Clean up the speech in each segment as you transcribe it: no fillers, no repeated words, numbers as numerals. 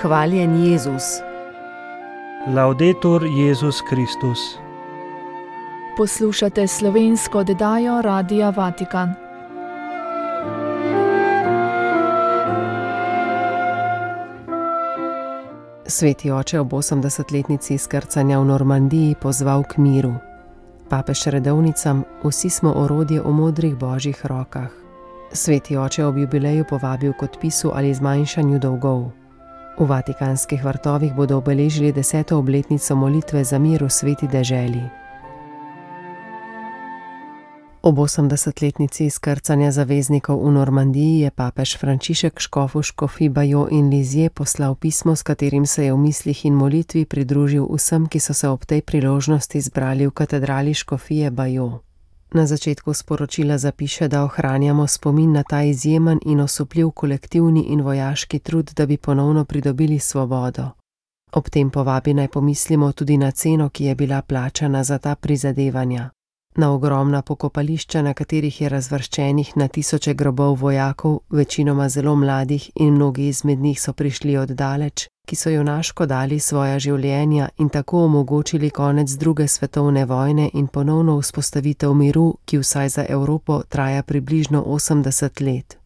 Hvaljen Jezus. Laudetur Jezus Kristus. Poslušate slovensko oddajo Radia Vatikan. Sveti oče ob 80-letnici izkrcanja v Normandiji pozval k miru. Papež redovnicam: vsi smo orodje v modrih božjih rokah. Sveti oče ob jubileju povabil k odpisu ali zmanjšanju dolgov. V vatikanskih vrtovih bodo obeležili 10. obletnico molitve za mir v sveti deželi. Ob 80-letnici izkrcanja zaveznikov v Normandiji je papež Frančišek škofu škofij Bayeux in Lisieux poslal pismo, s katerim se je v mislih in molitvi pridružil vsem, ki so se ob tej priložnosti zbrali v katedrali škofije Bayeux. Na začetku sporočila zapiše, da ohranjamo spomin na ta izjemen in osupljiv kolektivni in vojaški trud, da bi ponovno pridobili svobodo. Ob tem povabi naj pomislimo tudi na ceno, ki je bila plačana za ta prizadevanja. Na ogromna pokopališča, na katerih je razvrščenih na tisoče grobov vojakov, večinoma zelo mladih, in mnogi izmed njih so prišli od daleč, ki so junaško dali svoja življenja in tako omogočili konec druge svetovne vojne in ponovno vzpostavitev miru, ki vsaj za Evropo traja približno 80 let.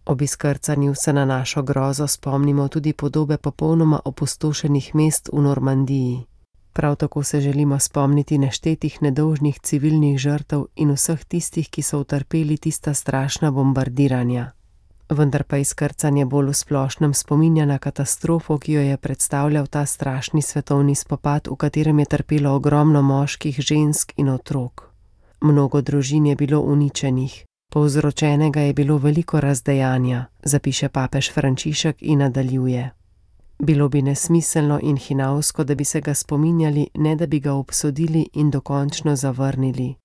Ob izkrcanju se na našo grozo spomnimo tudi podobe popolnoma opustošenih mest v Normandiji. Prav tako se želimo spomniti neštetih nedolžnih civilnih žrtev in vseh tistih, ki so utrpeli tista strašna bombardiranja. Vendar pa izkrcanje bolj v splošnem spominja na katastrofo, ki jo je predstavljal ta strašni svetovni spopad, v katerem je trpelo ogromno moških, žensk in otrok. Mnogo družin je bilo uničenih, povzročenega je bilo veliko razdejanja, zapiše papež Frančišek in nadaljuje. Bilo bi nesmiselno in hinavsko, da bi se ga spominjali, ne da bi ga obsodili in dokončno zavrnili.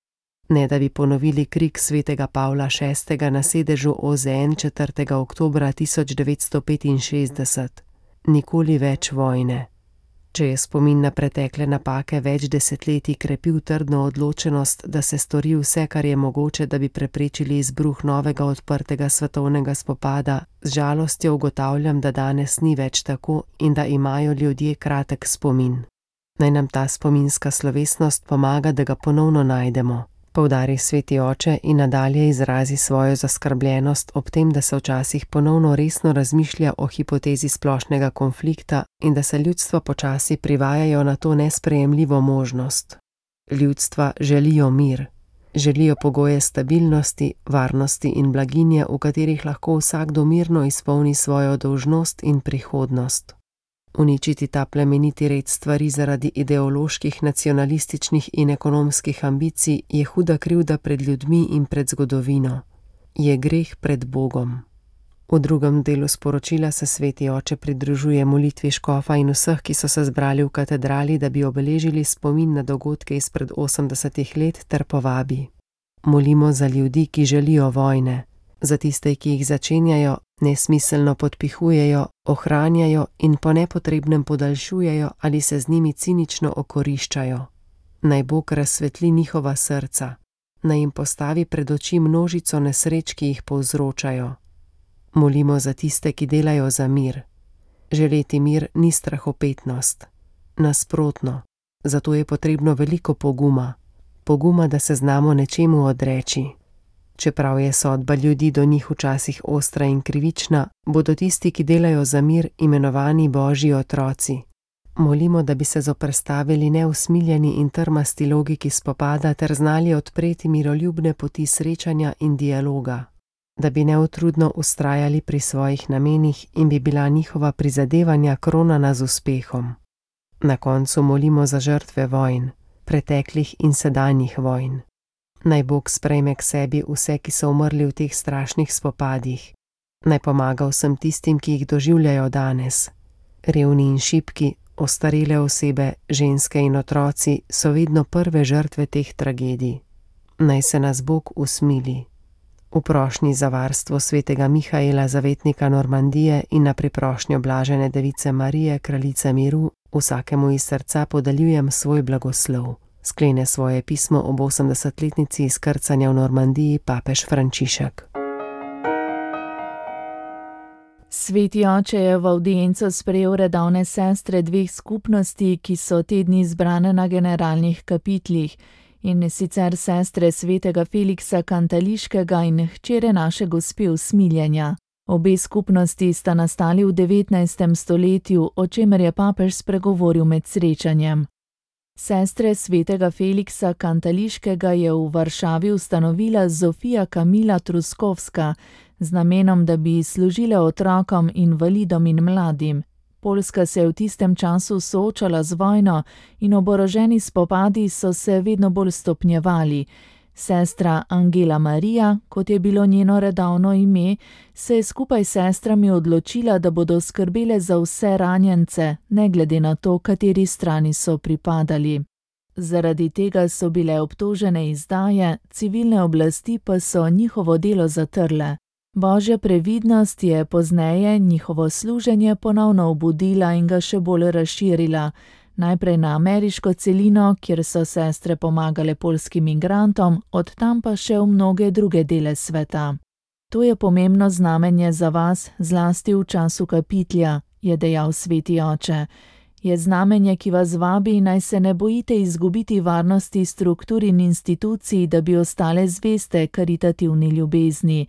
Ne da bi ponovili krik svetega Pavla VI. Na sedežu OZN 4. oktobra 1965. Nikoli več vojne. Če je spomin na pretekle napake več desetletij krepil trdno odločenost, da se stori vse, kar je mogoče, da bi preprečili izbruh novega odprtega svetovnega spopada, z žalostjo ugotavljam, da danes ni več tako in da imajo ljudje kratek spomin. Naj nam ta spominska slovesnost pomaga, da ga ponovno najdemo. Poudari sveti oče in nadalje izrazi svojo zaskrbljenost ob tem, da se včasih ponovno resno razmišlja o hipotezi splošnega konflikta in da se ljudstva počasi privajajo na to nesprejemljivo možnost. Ljudstva želijo mir, želijo pogoje stabilnosti, varnosti in blaginje, v katerih lahko vsakdo mirno izpolni svojo dolžnost in prihodnost. Uničiti ta plemeniti red stvari zaradi ideoloških, nacionalističnih in ekonomskih ambicij je huda krivda pred ljudmi in pred zgodovino. Je greh pred Bogom. V drugem delu sporočila se sveti oče pridružuje molitvi škofa in vseh, ki so se zbrali v katedrali, da bi obeležili spomin na dogodke izpred 80 let, ter povabi: molimo za ljudi, ki želijo vojne, za tiste, ki jih začenjajo, nesmiselno podpihujejo, ohranjajo in po nepotrebnem podaljšujejo ali se z njimi cinično okoriščajo. Naj Bog razsvetli njihova srca, naj jim postavi pred oči množico nesreč, ki jih povzročajo. Molimo za tiste, ki delajo za mir. Želeti mir ni strahopetnost. Nasprotno, zato je potrebno veliko poguma. Poguma, da se znamo nečemu odreči. Čeprav je sodba ljudi do njih včasih ostra in krivična, bodo tisti, ki delajo za mir, imenovani Božji otroci. Molimo, da bi se zoperstavili neusmiljeni in trmasti logiki spopada ter znali odpreti miroljubne poti srečanja in dialoga, da bi neutrudno vztrajali pri svojih namenih in bi bila njihova prizadevanja kronana z uspehom. Na koncu molimo za žrtve vojn, preteklih in sedanjih vojn. Naj Bog sprejme k sebi vse, ki so umrli v teh strašnih spopadih. Naj pomaga vsem tistim, ki jih doživljajo danes. Revni in šibki, ostarele osebe, ženske in otroci so vedno prve žrtve teh tragedij. Naj se nas Bog usmili. V prošnji za varstvo svetega Mihaela, zavetnika Normandije, in na priprošnjo blažene device Marije, kraljice miru, vsakemu iz srca podeljujem svoj blagoslov. Sklene svoje pismo ob 80-letnici izkrcanja v Normandiji papež Frančišek. Sveti oče je v avdienco sprejel redovne sestre dveh skupnosti, ki so te dni zbrane na generalnih kapitlih, in sicer sestre svetega Feliksa Kantališkega in hčere naše gospe Usmiljenja. Obe skupnosti sta nastali v 19. stoletju, o čemer je papež spregovoril med srečanjem. Sestre svetega Feliksa Kantališkega je v Varšavi ustanovila Zofija Kamila Truskovska z namenom, da bi služile otrokom, invalidom in mladim. Poljska se je v tistem času soočala z vojno in oboroženi spopadi so se vedno bolj stopnjevali. Sestra Angela Marija, kot je bilo njeno redovno ime, se je skupaj s sestrami odločila, da bodo skrbele za vse ranjence, ne glede na to, kateri strani so pripadali. Zaradi tega so bile obtožene izdaje, civilne oblasti pa so njihovo delo zatrle. Božja previdnost je pozneje njihovo služenje ponovno obudila in ga še bolj razširila. Najprej na ameriško celino, kjer so sestre pomagale poljskim migrantom, od tam pa še v mnoge druge dele sveta. To je pomembno znamenje za vas, zlasti v času kapitlja, je dejal sveti oče. Je znamenje, ki vas vabi, naj se ne bojite izgubiti varnosti struktur in institucij, da bi ostale zveste karitativni ljubezni.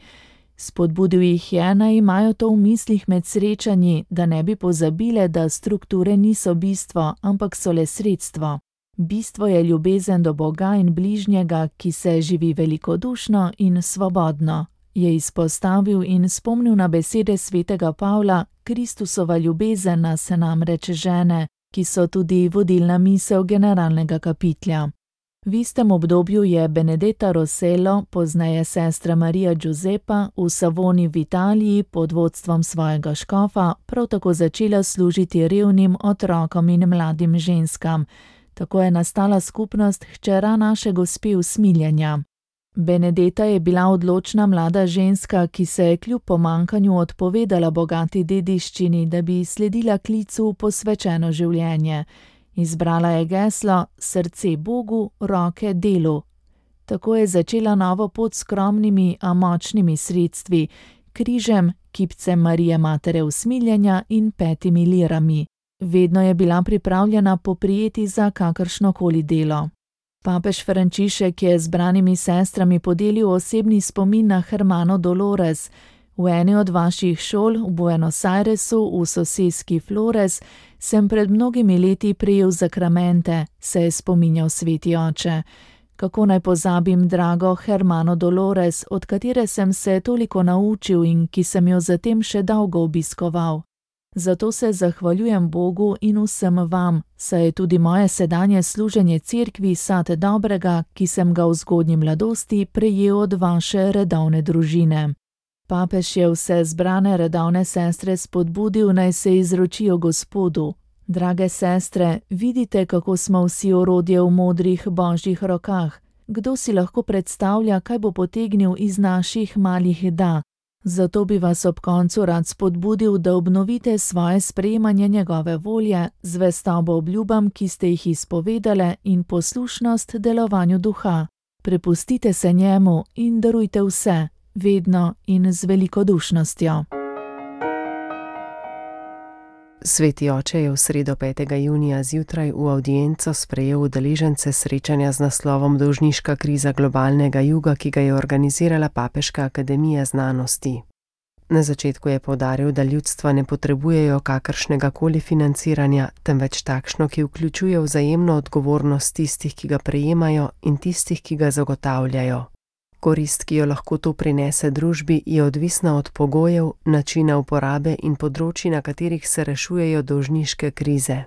Spodbudil jih je, naj imajo to v mislih med srečanji, da ne bi pozabile, da strukture niso bistvo, ampak so le sredstvo. Bistvo je ljubezen do Boga in bližnjega, ki se živi velikodušno in svobodno, je izpostavil in spomnil na besede svetega Pavla: Kristusova ljubezen nas namreč žene, ki so tudi vodilna misel generalnega kapitlja. V istem obdobju je Benedetta Rossello, pozneje sestra Marija Giuseppa, v Savoni v Italiji pod vodstvom svojega škofa prav tako začela služiti revnim otrokom in mladim ženskam. Tako je nastala skupnost hčera naše gospe Usmiljenja. Benedetta je bila odločna mlada ženska, ki se je kljub pomanjkanju odpovedala bogati dediščini, da bi sledila klicu v posvečeno življenje. Izbrala je geslo Srce Bogu, roke delu. Tako je začela novo pot s skromnimi, a močnimi sredstvi, križem, kipcem Marije Matere Usmiljenja in 5 lirami. Vedno je bila pripravljena poprijeti za kakršnokoli delo. Papež Frančišek je zbranimi sestrami podelil osebni spomin na Hermano Dolores. V eni od vaših šol v Buenos Airesu v soseski Flores sem pred mnogimi leti prejel zakramente, se je spominjal sveti oče. Kako naj pozabim drago Hermano Dolores, od katere sem se toliko naučil in ki sem jo zatem še dolgo obiskoval. Zato se zahvaljujem Bogu in vsem vam, saj je tudi moje sedanje služenje cerkvi sad dobrega, ki sem ga v zgodnji mladosti prejel od vaše redovne družine. Papež je vse zbrane redovne sestre spodbudil, naj se izročijo Gospodu. Drage sestre, vidite, kako smo vsi orodje v modrih božjih rokah. Kdo si lahko predstavlja, kaj bo potegnil iz naših malih da? Zato bi vas ob koncu rad spodbudil, da obnovite svoje sprejemanje njegove volje, zvestobo obljubam, ki ste jih izpovedale, in poslušnost delovanju duha. Prepustite se njemu in darujte vse, vedno in z velikodušnostjo. Sveti oče je v sredo 5. junija zjutraj v avdienco sprejel udeležence srečanja z naslovom Dolžniška kriza globalnega juga, ki ga je organizirala Papeška akademija znanosti. Na začetku je poudaril, da ljudstva ne potrebujejo kakršnega koli financiranja, temveč takšno, ki vključuje vzajemno odgovornost tistih, ki ga prejemajo, in tistih, ki ga zagotavljajo. Korist, ki jo lahko to prinese družbi, je odvisna od pogojev, načina uporabe in področji, na katerih se rešujejo dolžniške krize.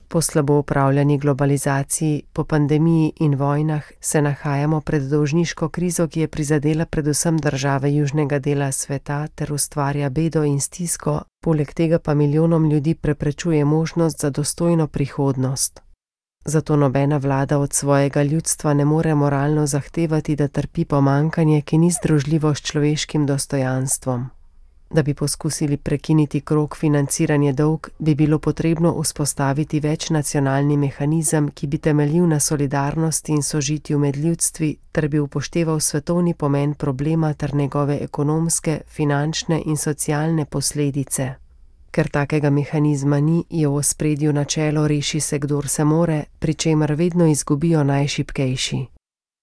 Po slabo upravljani globalizaciji, po pandemiji in vojnah se nahajamo pred dolžniško krizo, ki je prizadela predvsem države južnega dela sveta ter ustvarja bedo in stisko, poleg tega pa milijonom ljudi preprečuje možnost za dostojno prihodnost. Zato nobena vlada od svojega ljudstva ne more moralno zahtevati, da trpi pomanjkanje, ki ni združljivo s človeškim dostojanstvom. Da bi poskusili prekiniti krog financiranja dolg, bi bilo potrebno vzpostaviti večnacionalni mehanizem, ki bi temeljil na solidarnosti in sožitju med ljudstvi, ter bi upošteval svetovni pomen problema ter njegove ekonomske, finančne in socialne posledice. Ker takega mehanizma ni, je v ospredju načelo reši se, kdor se more, pri čemer vedno izgubijo najšibkejši.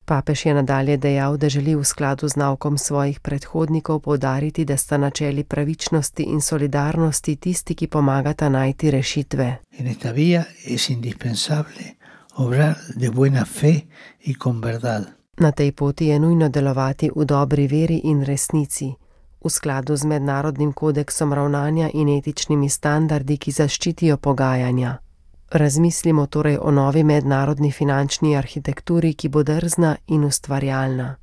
Papež je nadalje dejal, da želi v skladu z naukom svojih predhodnikov poudariti, da sta načeli pravičnosti in solidarnosti tisti, ki pomagata najti rešitve. In esta vía es indispensable obrar de buena fe y con verdad. Na tej poti je nujno delovati v dobri veri in resnici, v skladu z mednarodnim kodeksom ravnanja in etičnimi standardi, ki zaščitijo pogajanja. Razmislimo torej o novi mednarodni finančni arhitekturi, ki bo drzna in ustvarjalna.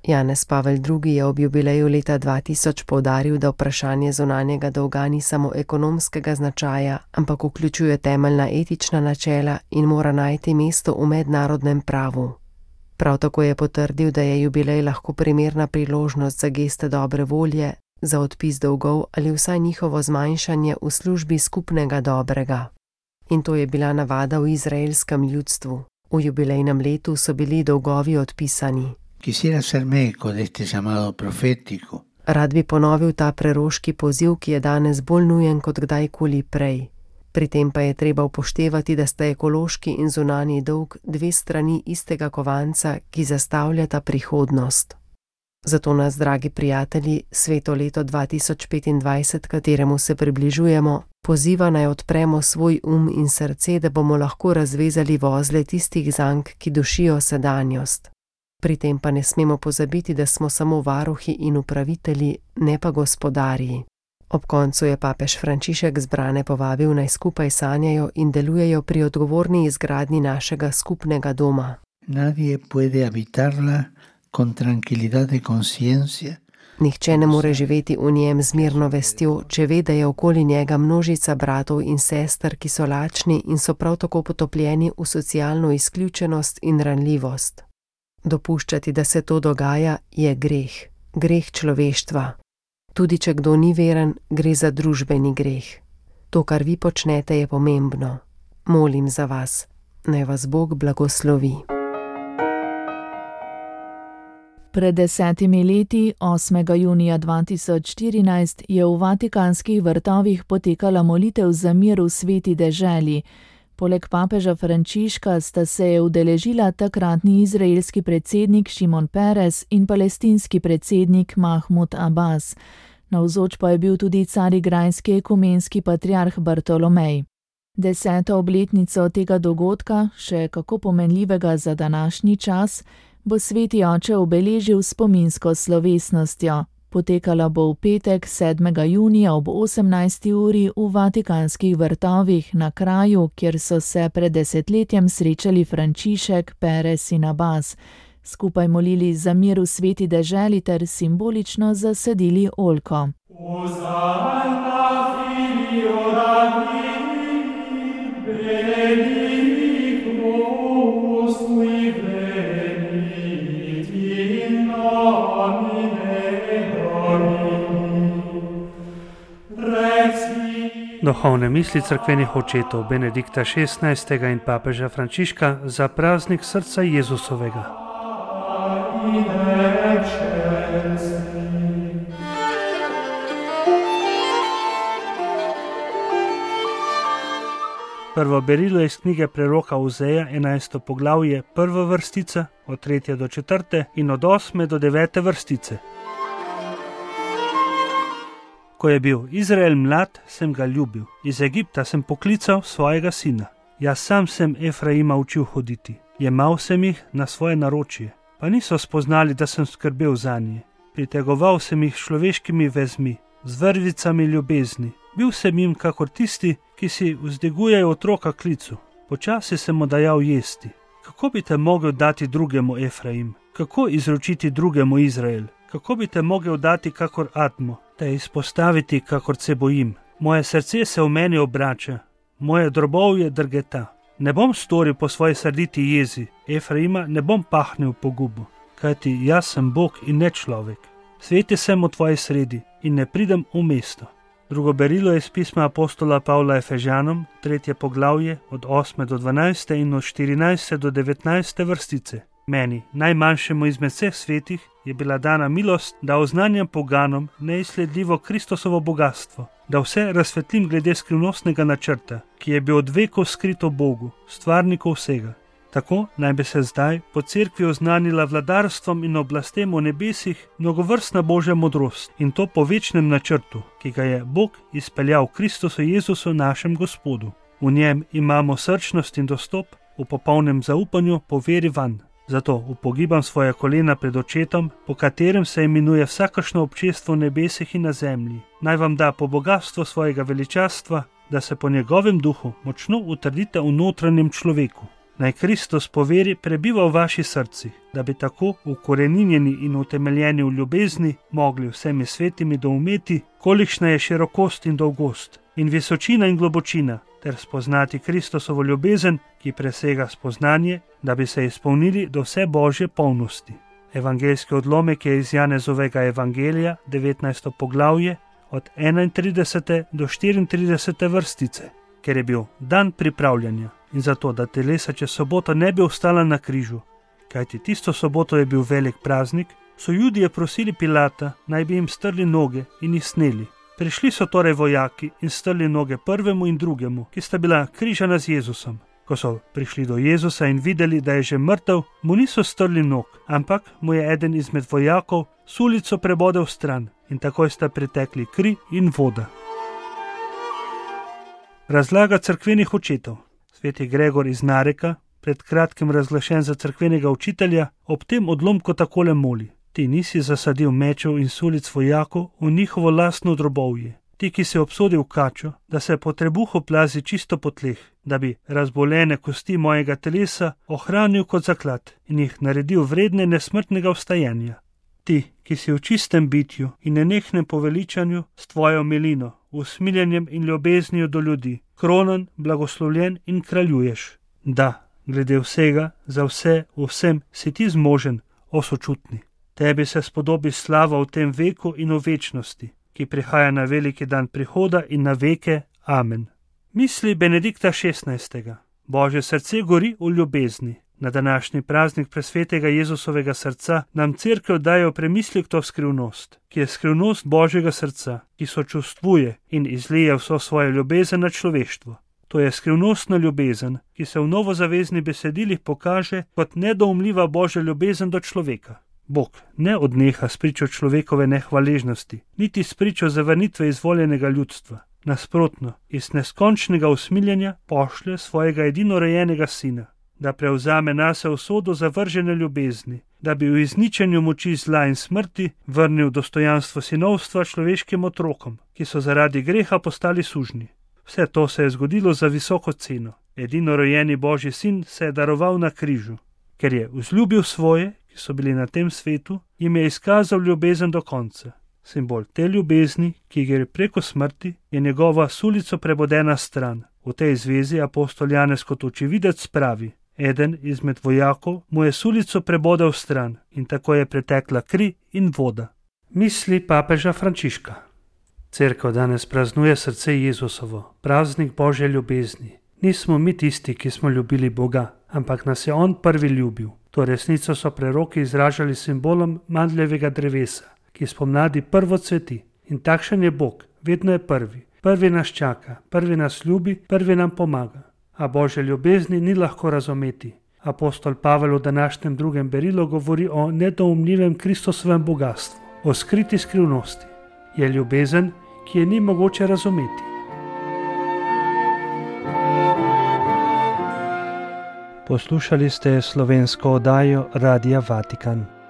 Janez Pavel II. Je ob jubileju leta 2000 poudaril, da vprašanje zunanjega dolga ni samo ekonomskega značaja, ampak vključuje temeljna etična načela in mora najti mesto v mednarodnem pravu. Prav tako je potrdil, da je jubilej lahko primerna priložnost za geste dobre volje, za odpis dolgov ali vsaj njihovo zmanjšanje v službi skupnega dobrega. In to je bila navada v izraelskem ljudstvu. V jubilejnem letu so bili dolgovi odpisani. Rad bi ponovil ta preroški poziv, ki je danes bolj nujen kot kdajkoli prej. Pri tem pa je treba upoštevati, da sta ekološki in zunanji dolg dve strani istega kovanca, ki zastavljata prihodnost. Zato nas, dragi prijatelji, sveto leto 2025, kateremu se približujemo, poziva naj odpremo svoj in srce, da bomo lahko razvezali vozle tistih zank, ki dušijo sedanjost. Pri tem pa ne smemo pozabiti, da smo samo varuhi in upravitelji, ne pa gospodarji. Ob koncu je papež Frančišek zbrane povabil, naj skupaj sanjajo in delujejo pri odgovorni izgradnji našega skupnega doma. Nadie puede habitarla con tranquilidad de conciencia. Nihče ne more živeti v njem z mirno vestjo, če ve, da je okoli njega množica bratov in sester, ki so lačni in so prav tako potopljeni v socialno izključenost in ranljivost. Dopuščati, da se to dogaja, je greh. Greh človeštva. Tudi če kdo ni veren, gre za družbeni greh. To, kar vi počnete, je pomembno. Molim za vas. Naj vas Bog blagoslovi. Pred 10 leti, 8. junija 2014, je v Vatikanskih vrtovih potekala molitev za mir v sveti deželi. Poleg papeža Frančiška sta se je udeležila takratni izraelski predsednik Šimon Peres in palestinski predsednik Mahmud Abbas. Navzoč pa je bil tudi carigrajski ekumenski patriarh Bartolomej. 10. obletnico tega dogodka, še kako pomenljivega za današnji čas, bo sveti oče obeležil spominsko slovesnostjo. Potekala bo v petek 7. junija ob 18. uri v Vatikanskih vrtovih na kraju, kjer so se pred desetletjem srečali Frančišek, Peres in Abbas. Skupaj molili za mir v sveti deželi ter simbolično zasadili oljko. Duhovne misli cerkvenih očetov Benedikta XVI. In papeža Frančiška za praznik srca Jezusovega. Prvo berilo iz knjige preroka Ozeja, 11. poglavje, prva vrstica, od 3. do 4. in od 8. do 9. vrstice. Ko je bil Izrael mlad, sem ga ljubil. Iz Egipta sem poklical svojega sina. Jaz sam sem Efraima učil hoditi. Jemal sem jih na svoje naročje, pa niso spoznali, da sem skrbel zanje. Pritegoval sem jih človeškimi vezmi, z vrvicami ljubezni. Bil sem jim kakor tisti, ki si vzdigujejo otroka klicu. Počasi sem mu dajal jesti. Kako bi te mogel dati drugemu Efraim? Kako izročiti drugemu Izrael? Kako bi te mogel dati kakor Admo? Te izpostaviti, kakor se bojim. Moje srce se v meni obrača, moje drobovje drgeta. Ne bom storil po svoji srditi jezi, Efraima ne bom pahnil po gubu, kajti jaz sem Bog in ne človek. Sveti sem v tvoji sredi, in ne pridem v mesto. Drugo berilo je iz pisma apostola Pavla Efežanom, 3. poglavje, od 8. do 12. in od 14. do 19. vrstice. Meni, najmanjšemu izmed vseh svetih, je bila dana milost, da oznanjam poganom neizsledljivo Kristosovo bogatstvo, da vse razsvetlim glede skrivnostnega načrta, ki je bil od vekov skrit v Bogu, stvarniku vsega. Tako naj bi se zdaj po cerkvi oznanila vladarstvom in oblastem v nebesih mnogovrstna Božja modrost, in to po večnem načrtu, ki ga je Bog izpeljal v Kristusu Jezusu našem Gospodu. V njem imamo srčnost in dostop v popolnem zaupanju po veri vanj. Zato upogibam svoje kolena pred očetom, po katerem se imenuje vsakršno občestvo v nebesih in na zemlji. Naj vam da po bogatstvu svojega veličastva, da se po njegovem duhu močno utrdite v notranjem človeku. Naj Kristus po veri prebiva v vaših srcih, da bi tako ukoreninjeni in utemeljeni v ljubezni mogli vsemi svetimi doumeti, kolikšna je širokost in dolgost, in visočina in globočina, ter spoznati Kristusovo ljubezen, ki presega spoznanje, da bi se izpolnili do vse Božje polnosti. Evangeljski odlomek je iz Janezovega evangelija, 19. poglavje, od 31. do 34. vrstice, ker je bil dan pripravljanja in zato, da telesa čez soboto ne bi ostala na križu, kajti tisto soboto je bil velik praznik, so Judije prosili Pilata, naj bi jim strli noge in jih sneli. Prišli so torej vojaki in strli noge prvemu in drugemu, ki sta bila križana z Jezusom. Ko so prišli do Jezusa in videli, da je že mrtev, mu niso strli nog, ampak mu je eden izmed vojakov sulico prebodel stran in takoj sta pritekli kri in voda. Razlaga cerkvenih očetov. Sveti Gregor iz Nareka, pred kratkim razglašen za cerkvenega učitelja, ob tem odlomku takole moli: Ti nisi zasadil mečev in sulic vojakov v njihovo lastno drobovje. Ti, ki si obsodil kačo, da se po trebuhu plazi čisto po tleh, da bi razbolene kosti mojega telesa ohranil kot zaklad in jih naredil vredne nesmrtnega vstajanja. Ti, ki si v čistem bitju in nenehnem poveličanju s tvojo milino, usmiljenjem in ljubeznijo do ljudi, kronan, blagoslovljen in kraljuješ. Da, glede vsega, za vse, v vsem si ti zmožen, o sočutni. Tebi se spodobi slava v tem veku in v večnosti, ki prihaja na veliki dan prihoda in na veke. Amen. Misli Benedikta XVI. Božje srce gori v ljubezni. Na današnji praznik presvetega Jezusovega srca nam cerkev daje v premislek to skrivnost, ki je skrivnost Božjega srca, ki sočustvuje in izlije vso svojo ljubezen na človeštvo. To je skrivnostna ljubezen, ki se v novozaveznih besedilih pokaže kot nedoumljiva Božja ljubezen do človeka. Bog ne odneha s pričo človekove nehvaležnosti, niti s pričo zavrnitve izvoljenega ljudstva. Nasprotno, iz neskončnega usmiljenja pošlje svojega edinorojenega sina, da prevzame nase usodo zavržene ljubezni, da bi v izničenju moči zla in smrti vrnil dostojanstvo sinovstva človeškim otrokom, ki so zaradi greha postali sužnji. Vse to se je zgodilo za visoko ceno. Edinorojeni Božji sin se je daroval na križu, ker je vzljubil svoje, ki so bili na tem svetu, jim je izkazal ljubezen do konca. Simbol te ljubezni, ki gre preko smrti, je njegova sulico prebodena stran. V tej zvezi apostol Janez kot očividec pravi: eden izmed vojakov mu je sulico prebodel stran in tako je pretekla kri in voda. Misli papeža Frančiška. Cerkev danes praznuje srce Jezusovo, praznik Božje ljubezni. Nismo mi tisti, ki smo ljubili Boga, ampak nas je On prvi ljubil. To resnico so preroki izražali simbolom mandljevega drevesa, ki spomladi prvo cveti. In takšen je Bog, vedno je prvi. Prvi nas čaka, prvi nas ljubi, prvi nam pomaga. A Božje ljubezni ni lahko razumeti. Apostol Pavel v današnjem drugem berilu govori o nedoumljivem Kristusovem bogatstvu, o skriti skrivnosti. Je ljubezen, ki je ni mogoče razumeti. Poslušali ste slovensko oddajo Radia Vatikan.